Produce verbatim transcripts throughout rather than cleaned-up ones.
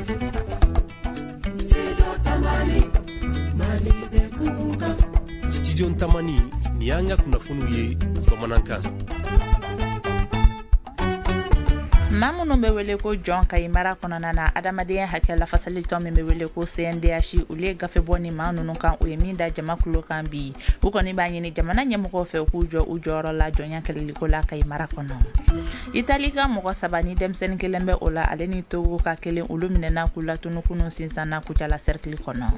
Studio Tamani, ni y'an ka kunnafoniw ye bamanankan. Maa minnu bɛ wele ko jɔn Kayi mara kɔnɔna na, adamadenya hakɛ lafasali tɔn min bɛ wele ko C N D H, olu ye gafe bɔ ni maa ninnu kan, o ye min da jama kulo kan bi. U kɔni b'a ɲini jamana ɲɛmɔgɔw fɛ, u k'u jɔ u jɔyɔrɔ la jɔnya kɛlɛliko la Kayi mara kɔnɔ. Itali ka mɔgɔ saba ni denmisɛnnin kelen bɛ o la, ale ni Togo ka kelen, olu minɛna k'u latunu kunun sinsan na Kucala cercle kɔnɔ.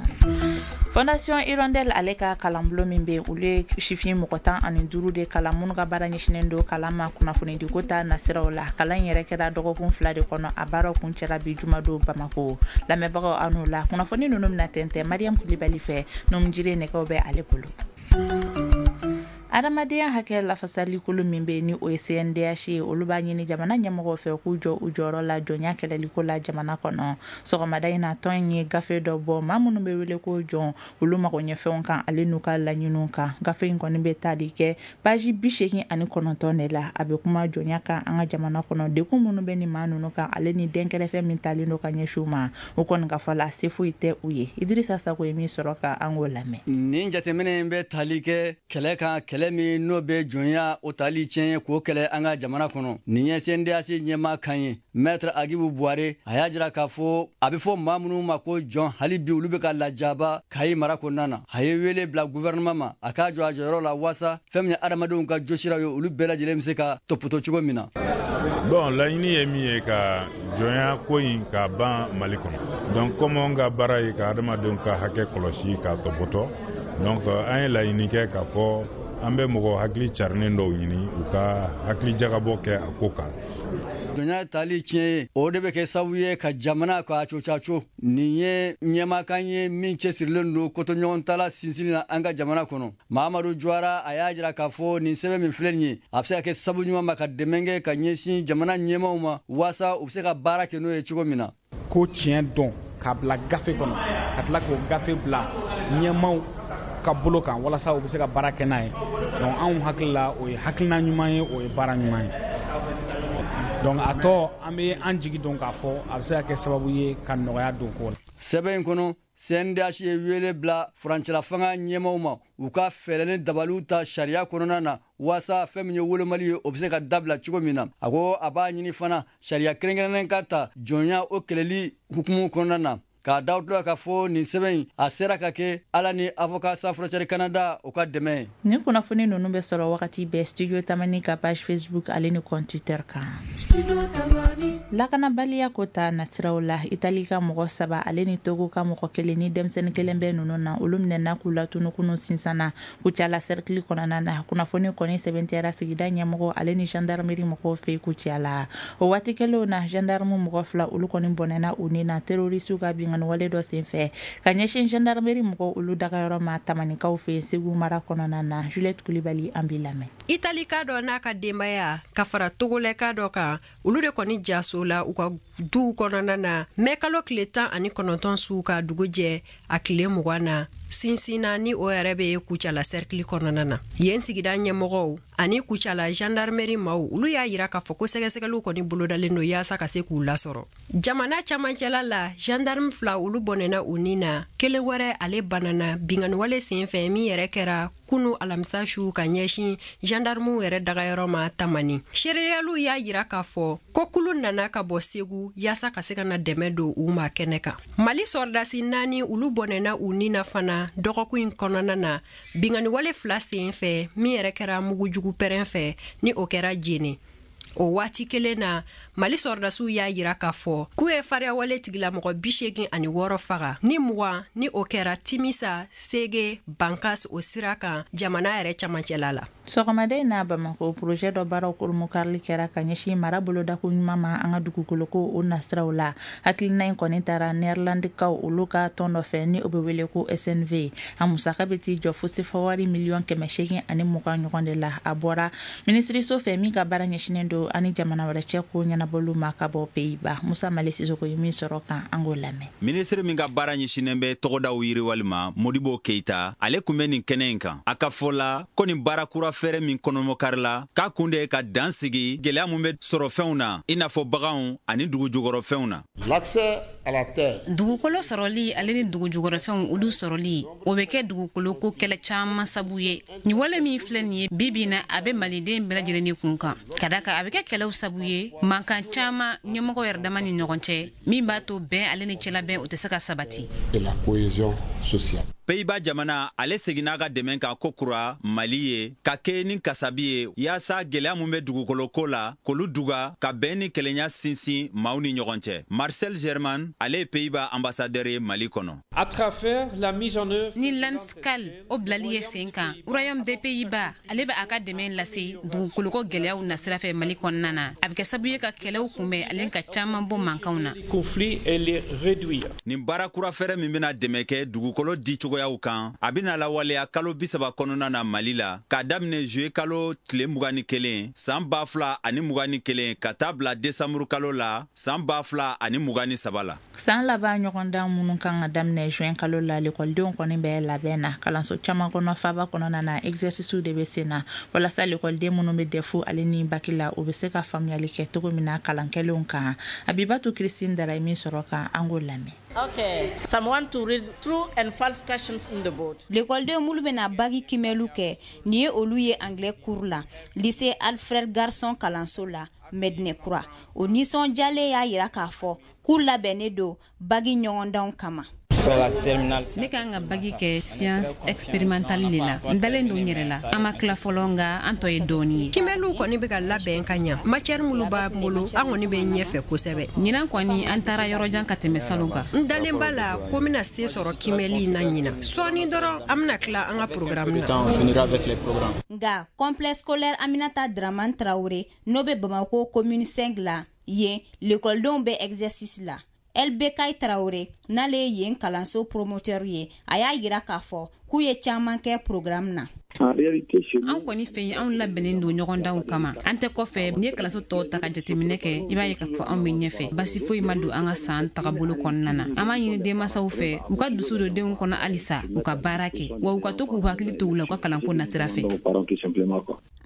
Fondation Hirondelle, ale ka kalanbulon min bɛ, olu ye sifin mɔgɔ tan ani duuru de kalan minnu ka baara ɲɛsinnen don kalan ma kunnafonidiko ta nasiraw la. Kalan in yɛrɛ kɛra dɔgɔkun fila de kɔnɔ, a baaraw kun cɛla bi jumadon Bamako. Lamɛnbagaw, aw n'o la kunnafoni ninnu bɛna tɛntɛn Mariam Kulibali fɛ, numujire nɛgɛw bɛ ale bolo. Adamadenya hakɛ lafasalikulu min bɛ, ni o ye C N D H ye, olu b'a ɲini jamana ɲɛmɔgɔw fɛ k'u jɔ u jɔyɔrɔ la jɔnya kɛlɛliko la jamana kɔnɔ. Sɔgɔmada in na, tɔn in ye gafe dɔ bɔ maa minnu bɛ wele ko jɔn, olu mago ɲɛfɛnw kan, ale n'u ka laɲiniw kan. Gafe in kɔni bɛ tali kɛ paji bi seegin ani kɔnɔntɔn de la. A bɛ kuma jɔnya kan an ka jamana kɔnɔ, dekun minnu bɛ nin maa ninnu kan, ale ni dɛnkɛrɛfɛ min talen don ka ɲɛsin u ma. O kɔni ka fɔ la, se foyi tɛ u ye. Idirisa Sako ye min sɔrɔ ka an k'o lamɛn. Nin jateminɛ in bɛ tali kɛ kɛlɛ kan, kɛlɛ min n'o bɛ jɔnya o tali tiɲɛ k'o kɛlɛ an ka jamana kɔnɔ. Nin ye C N D H ɲɛmaa kan ye, Maître Agibu Buware. A y'a jira k'a fɔ a bɛ fɔ maa minnu ma ko jɔn, hali bi olu bɛ ka lajaba Kayi mara kɔnɔna na. A ye wele bila gouvernement ma, a k'a jɔ a jɔyɔrɔ la waasa fɛn min ye adamadenw ka josiraw ye, olu bɛɛ lajɛlen bɛ se ka tɔpɔtɔ cogo min na. Bon, laɲini ye min ye, ka jɔnya ko in ka ban Mali kɔnɔ. Donc comme an ka baara ye ka adamadenw ka hakɛ kɔlɔsi k'a tɔpɔtɔ, donc an ye laɲini kɛ k'a fɔ an bɛ mɔgɔ hakili carinen dɔw ɲini, u ka hakili jagabɔ kɛ a ko kan. Jɔnya tali tiɲɛ ye, o de bɛ kɛ sababu ye ka jamana k'a cocaco. Nin ye ɲɛmakan ye min cɛsirilen don kotoɲɔgɔntala sinsinni na an ka jamana kɔnɔ. Mahamadu Juwara, a y'a jira k'a fɔ nin sɛbɛn min filɛ nin ye, a bɛ se ka kɛ sababu ɲuman ma ka dɛmɛ kɛ ka ɲɛsin jamana ɲɛmaw ma, waasa u bɛ se ka baara kɛ n'o ye cogo min na. Ko tiɲɛ dɔn k'a bila gafe kɔnɔ, ka tila k'o gafe bila ɲɛmaw ka bolo kan walasa u bɛ se ka baara kɛ n'a ye, donc anw hakili la, o ye hakilina ɲuman ye, o ye baara ɲuman ye. Donc a tɔ, an bɛ an jigi dɔn k'a fɔ a bɛ se ka kɛ sababu ye ka nɔgɔya don ko la. Sɛbɛn in kɔnɔ, C N D H ye wele bila furancɛla fanga ɲɛmaw ma, u ka fɛɛrɛ ni dabaliw ta sariya kɔnɔna na waasa fɛn min ye wolomali ye, o bɛ se ka dabila cogo min na. A ko a b'a ɲini fana sariya kɛrɛnkɛrɛnnen ka ta jɔnya o kɛlɛli hukumu kɔnɔna na. K'a da tila k'a fɔ nin sɛbɛn in, a sera ka kɛ Ala ni Avocat Sans Frontières Canada o ka dɛmɛ ye. Nin kunnafoni ninnu bɛ sɔrɔ wagati bɛɛ Studio Tamani ka page Facebook ale ni compte Twitter kan. Lakanabaliya ko ta nasiraw la, Itali ka mɔgɔ saba, ale ni Togo ka mɔgɔ kelen ni denmisɛnnin kelen bɛ ninnu na, olu minɛna k'u latunu kunun sinsan na Kucala cercle kɔnɔna na. Kunnafoni kɔni sɛbɛntiyara sigida ɲɛmɔgɔ ale ni gendarmerie mɔgɔw fɛ Kucala. O waati kelenw na, gendarme mɔgɔ fila, olu kɔni bɔnɛna u ni na terroriste ka binkanni wale dɔ senfɛ ka ɲɛsin gendarmerie mɔgɔw olu dagayɔrɔ ma Tamanikaw fɛ Segu mara kɔnɔna na. Juliette Kulibali, an b'i lamɛn. Italika dɔ n'a ka denbaya ka fara Togolɛka dɔ kan, olu de kɔni jaso la u ka duw kɔnɔna na mɛ kalo tile tan ani kɔnɔntɔn su ka dugu jɛ a tile mugan na sinsinna, ni o yɛrɛ bɛ Kucala cercle kɔnɔna na. Yen sigida ɲɛmɔgɔw ani Kucala gendarmerie maw, olu y'a yira k'a fɔ ko sɛgɛsɛgɛliw kɔni bolodalen don yaasa ka se k'u lasɔrɔ. Jamana camancɛla la, gendarme fila, olu bɔnɛna u ni na, kelen wɛrɛ ale banana binganiwale sen fɛ min yɛrɛ kɛra kunu alamisa su ka ɲɛsin gendarmew yɛrɛ dagayɔrɔ ma Tamani. Seereyaliw y'a yira k'a fɔ ko kulu nana ka bɔ Segu yaasa ka se ka na dɛmɛ don u ma kɛnɛ kan. Mali sɔrɔdasi naani, olu bɔnɛna u ni na fana dɔgɔkun in kɔnɔna na binganiwale fila sen fɛ min yɛrɛ kɛra mugujugu pɛrɛn fɛ, ni o kɛra Jene. O waati kelen na, Mali sɔrɔdasiw y'a yira k'a fɔ k'u ye fariyawale tigilamɔgɔ bi segin ani wɔɔrɔ faga, ni mugan ni o kɛra Timisa, Sege, Bankas o sira kan jamana yɛrɛ camancɛla la. Sɔgɔmada in na Bamako, projet dɔ baaraw kolomokarili kɛra ka ɲɛsin mara bolodako ɲuman ma an ka dugukoloko o nasiraw la. Hakilina in kɔni taara Nɛrlandikaw olu ka tɔn dɔ fɛ, ni o bɛ wele ko S N V. A musaka bɛ t'i jɔ fo sefa wari miliyɔn kɛmɛ seegin ani mugan ɲɔgɔn de la. A bɔra minisiriso fɛ min ka baara ɲɛsinnen don ani jamana wɛrɛ cɛ ko ɲɛnabɔliw ma ka bɔ Pays-Bas. Musa Male Sisoko ye min sɔrɔ kan, an k'o lamɛn. Minisiri min ka baara ɲɛsinnen bɛ tɔgɔdaw yiriwali ma, Modibo Keyita, ale kun bɛ nin kɛnɛ in kan. A ka fɔ la ko nin baara kura fɛɛrɛ min kɔnɔmɔkari la, k'a kun de ye ka dan sigi gɛlɛya mun bɛ sɔrɔ fɛnw na, i n'a fɔ baganw ani dugujukɔrɔfɛnw na. L'accès à la terre. Dugukolo sɔrɔli ale ni dugujukɔrɔfɛnw olu sɔrɔli, o bɛ kɛ dugukolo ko kɛlɛ caman sabu ye. Nin wale min filɛ nin ye bi bi in na, a bɛ maliden bɛɛ lajɛlen ni kun kan, ka da kan a bɛ kɛ kɛlɛw sabu ye, mankan caman ɲɛmɔgɔ yɛrɛ dama ni ɲɔgɔn cɛ, min b'a to bɛn ale ni cɛlabɛn o tɛ se ka sabati. Et la cohésion sociale. Pays-Bas jamana ale seginna ka dɛmɛ kan ko kura Mali ye ka kɛ ni kasabi ye, yaasa gɛlɛya mun bɛ dugukolo ko la k'olu duga, ka bɛn ni kelenya sinsin maaw ni ɲɔgɔn cɛ. Marcel German, ale ye Pays-Bas ambassadeur ye Mali kɔnɔ. À travers la mise en œuvre ni Landscal o bilali ye sen kan, Royaume des Pays-Bas ale bɛ a ka dɛmɛ lase dugukoloko gɛlɛyaw nasira fɛ Mali kɔnɔna na. A bɛ kɛ sababu ye ka kɛlɛw kunbɛn ale ka caman bɔ mankanw na. Conflits et les réduire. Nin baara kura fɛrɛ min bɛna dɛmɛ kɛ dugukolo di cogoyaw kan, a bɛna lawaleya kalo bi saba kɔnɔna na Mali la, k'a daminɛ juillet kalo tile mugan ni kelen san ba fila ani mugan ni kelen ka taa bila desanburu kalo la san ba fila ani mugan ni saba la. San laban ɲɔgɔndan minnu kan ka daminɛ juin kalo la, lekɔlidenw kɔni bɛ labɛn na kalanso caman kɔnɔ faaba kɔnɔna na. Exercice de bɛ sen na walasa lekɔliden minnu bɛ D E F ale ni bac la, u bɛ se ka faamuyali kɛ cogo min na kalan kɛlenw kan. Abibatu Christine Dara ye min sɔrɔ kan, an k'o lamɛn. Okay, someone to read true and false questions in the board. Lekɔlidenw minnu bɛna bac kimɛliw kɛ, nin ye olu ye anglais cours la lycée Alfred Garçon kalanso la Medinɛ Kura. O nisɔndiyalen y'a yira k'a fɔ k'u labɛnnen don bac ɲɔgɔndanw kama. Ne kan ka bac kɛ science expérimentale de la. N dalen don n yɛrɛ la. An ma tila fɔlɔ, nka an tɔ ye dɔɔni ye. Kimɛliw kɔni bɛ ka labɛn ka ɲa. Matière minnu b'an bolo, an kɔni bɛ ɲɛfɛ kosɛbɛ. Ɲinan kɔni, an taara yɔrɔjan ka tɛmɛ salon kan. N dalen b'a la ko n bɛna se sɔrɔ kimɛli in na ɲinan. Sɔɔni dɔrɔn an bɛna tila an ka programme na. Nka complexe scolaire Aminata Dramane Traoré, n'o bɛ Bamako commune cinq la, yen lekɔlidenw bɛ exercice la. L B K Traoré, n'ale ye yen kalanso promoteur ye, a y'a yira k'a fɔ k'u ye caman kɛ programme na. An kɔni fɛ yen, anw labɛnnen don ɲɔgɔndanw kama, an tɛ kɔfɛ. N'i ye kalanso tɔw ta ka jateminɛ kɛ, i b'a ye k'a fɔ anw bɛ ɲɛfɛ. Basi foyi ma don an ka san tagabolo kɔnɔna na. An b'a ɲini denmansaw fɛ, u ka dusu don denw kɔnɔ halisa, u ka baara kɛ, wa u ka to k'u hakili to u la u ka kalanko nasira fɛ.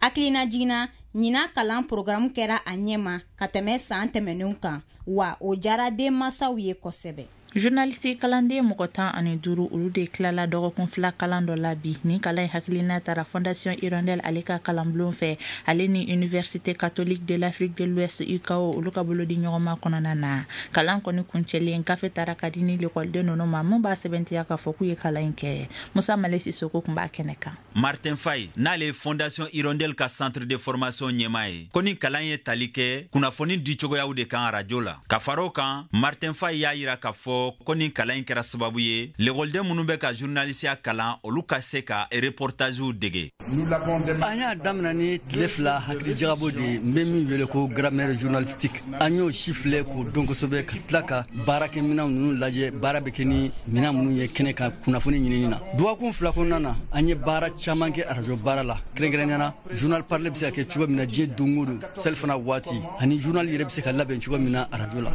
Hakilina jiginna, ɲinan kalan programme kɛra a ɲɛma ka tɛmɛ san tɛmɛnenw kan, wa o diyara denmansaw ye kosɛbɛ. Journaliste kalanden mɔgɔ tan ani duuru, olu de tilala dɔgɔkun fila kalan dɔ la bi. Nin kalan in hakilina tara Fondation Hirondelle ale ka kalanbulon fɛ, ale ni Université catholique de l'Afrique de l'Ouest U C A O, olu ka bolo di ɲɔgɔnma kɔnɔna na. Kalan kɔni kuncɛlen, gafe tara ka di ni lekɔliden ninnu ma mun b'a sɛbɛntiya k'a fɔ k'u ye kalan in kɛ. Musa Male Sisoko tun b'a kɛnɛ kan. Martin Fay, n'ale ye Fondation Hirondelle ka centre de formation ɲɛmaa ye, ko ni kalan ye tali kɛ kunnafoni di cogoyaw de kan arajo la. Ka fara o kan, Martin Fay y'a yira k'a fɔ ko ni kalan in kɛra sababu ye lekɔliden minnu bɛ ka journalisiya kalan, olu ka se ka reportagew dege. An y'a daminɛ ni tile fila hakilijagabɔ de ye, n bɛ min wele ko grammaire journalistique. An y'o si filɛ k'o dɔn kosɛbɛ, ka tila ka baarakɛminɛnw ninnu lajɛ, baara bɛ kɛ ni minɛn minnu ye kɛnɛ kan kunnafoni ɲinini na. Dɔgɔkun fila kɔnɔna na, an ye baara caman kɛ arajo baara la, kɛrɛnkɛrɛnnenya la journal parlé bɛ se ka kɛ cogo min na diɲɛ don o don selifana waati, ani journal yɛrɛ bɛ se ka labɛn cogo min na arajo la.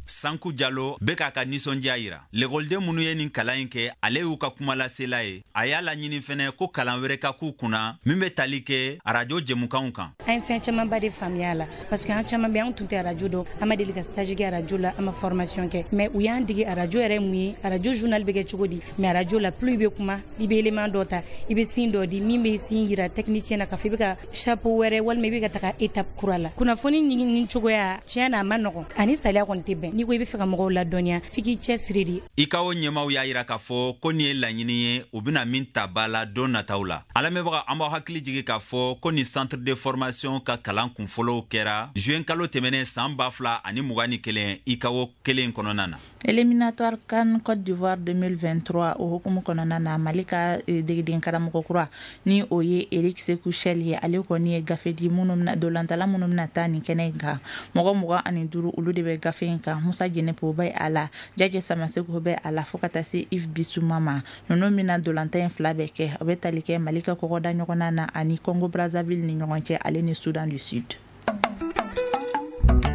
Sanku Jalo bɛ k'a ka nisɔndiya yira. Lekɔliden minnu ye nin kalan in kɛ, ale y'u ka kumalasela ye. A y'a laɲini fɛnɛ ko kalan wɛrɛ ka k'u kunna min bɛ tali kɛ arajo jɛmukanw kan. An ye fɛn camanba de faamuya a la, parce que an caman bɛ, an tun tɛ arajo dɔn, an ma deli ka stage kɛ arajo la, an ma formation kɛ, mais u y'an dege arajo yɛrɛ mun ye, arajo journal bɛ kɛ cogo di. Mais arajo la, plus i bɛ kuma, i bɛ élément dɔ ta, i bɛ signe dɔ di min bɛ signe yira technicien na k'a fɔ i bɛ ka chapeau wɛrɛ walima i bɛ ka taga étape kura la. Kunnafoni ɲini cogoya, tiɲɛ na, a ma nɔgɔn, ani saliya kɔni tɛ bɛn. N'i ko i bɛ fɛ ka mɔgɔw ladɔnniya, f'i k'i cɛsiri de. U C A O ɲɛmaw y'a yira k'a fɔ ko nin ye laɲini ye, u bɛna min ta ba la don nataw la. A lamɛnbaga, an b'aw hakili jigi k'a fɔ ko nin centre de formation ka kalan kunfɔlɔw kɛra juin kalo tɛmɛnen san ba fila ani mugan ni kelen U C A O kelen kɔnɔna na. Éliminatoire CAN Côte d'Ivoire deux mille vingt-trois, o hukumu kɔnɔna na, Mali ka degeden karamɔgɔ kura ni o ye Eric Sekou Chelle ye, ale kɔni ye gafe di minnu bɛna dolantala minnu bɛna taa nin kɛnɛ in kan. Mɔgɔ mugan ani duuru, olu de bɛ gafe in kan. Musa Jenepo bɛ a la, Jaje Samaseko bɛ a la, fo ka taa se Yves Bissouma ma. Ninnu bɛna dolantan in fila bɛɛ kɛ. O bɛ tali kɛ Mali ka kɔgɔda ɲɔgɔnna na ani Congo Brazzaville ni ɲɔgɔn cɛ, ale ni Soudan du Sud.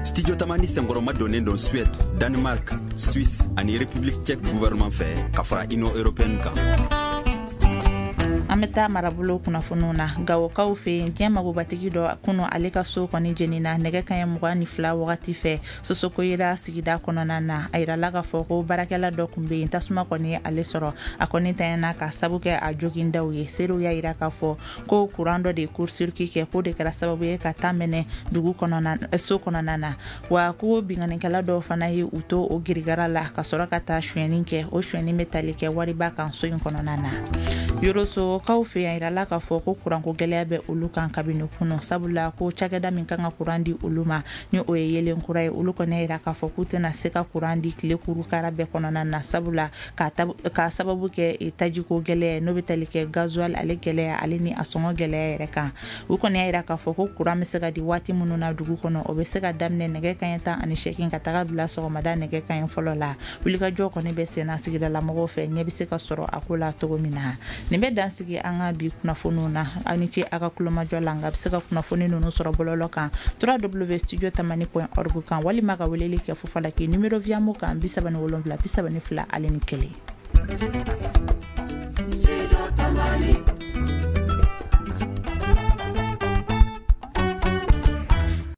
Studio Tamani senkɔrɔma donnen don Suède, Danemark, Suisse ani République tchèque gouvernement fɛ, ka fara Union européenne kan. An An bɛ taa marabolo kunnafoniw na. Gawokaw fɛ yen, diɲɛ magobatigi dɔ kunu ale ka so kɔni jenina nɛgɛ kaɲɛ mugan ni fila wagati fɛ Sosokoyira sigida kɔnɔna na. A yirala k'a fɔ ko baarakɛla dɔ tun bɛ yen, tasuma kɔni ale sɔrɔ, a kɔni tanyana ka sabu kɛ a jogindaw ye. Seerew y'a yira k'a fɔ ko kuran dɔ de ye court-circuit kɛ, k'o de kɛra sababu ye ka taa mɛnɛ dugu kɔnɔna so kɔnɔna na. Wa ko binkannikɛla dɔw fana ye u to o girigara la ka sɔrɔ ka taa sonyɛni kɛ. O sonyɛni bɛ tali kɛ wariba kan so in kɔnɔna na. Yorosokaw fɛ yan, yirala k'a fɔ ko kuranko gɛlɛya bɛ olu kan kabini kunu, sabula ko cakɛda min kan ka kuran di olu ma ni o ye yelen kura ye, olu kɔni yira k'a fɔ k'u tɛna se ka kuran di tile kurukara bɛɛ kɔnɔna na, sabula k'a sababu kɛ tajiko gɛlɛya n'o bɛ tali kɛ gasoil ale gɛlɛya ale ni a sɔngɔ gɛlɛya yɛrɛ kan. U kɔni y'a yira k'a fɔ ko kuran bɛ se ka di waati minnu na dugu kɔnɔ, o bɛ se ka daminɛ nɛgɛ kanɲɛ tan ani seegin ka taga bila sɔgɔmada nɛgɛ kanɲɛ fɔlɔ la. Wulikajɔ kɔni bɛ senna sigidalamɔgɔw fɛ, ɲɛ bɛ se ka sɔrɔ a ko la cogo min na. Nin bɛ dan sigi an ka bi kunnafoniw na. Aw ni ce a ka kulomajɔ la. Nka a bɛ se ka kunnafoni ninnu sɔrɔ bɔlɔlɔ kan w w w point studio tamani point org kan, walima ka weleli kɛ Fofalaki numéro Viamo kan bi saba ni wolonwula bi saba ni fila ale ni kelen.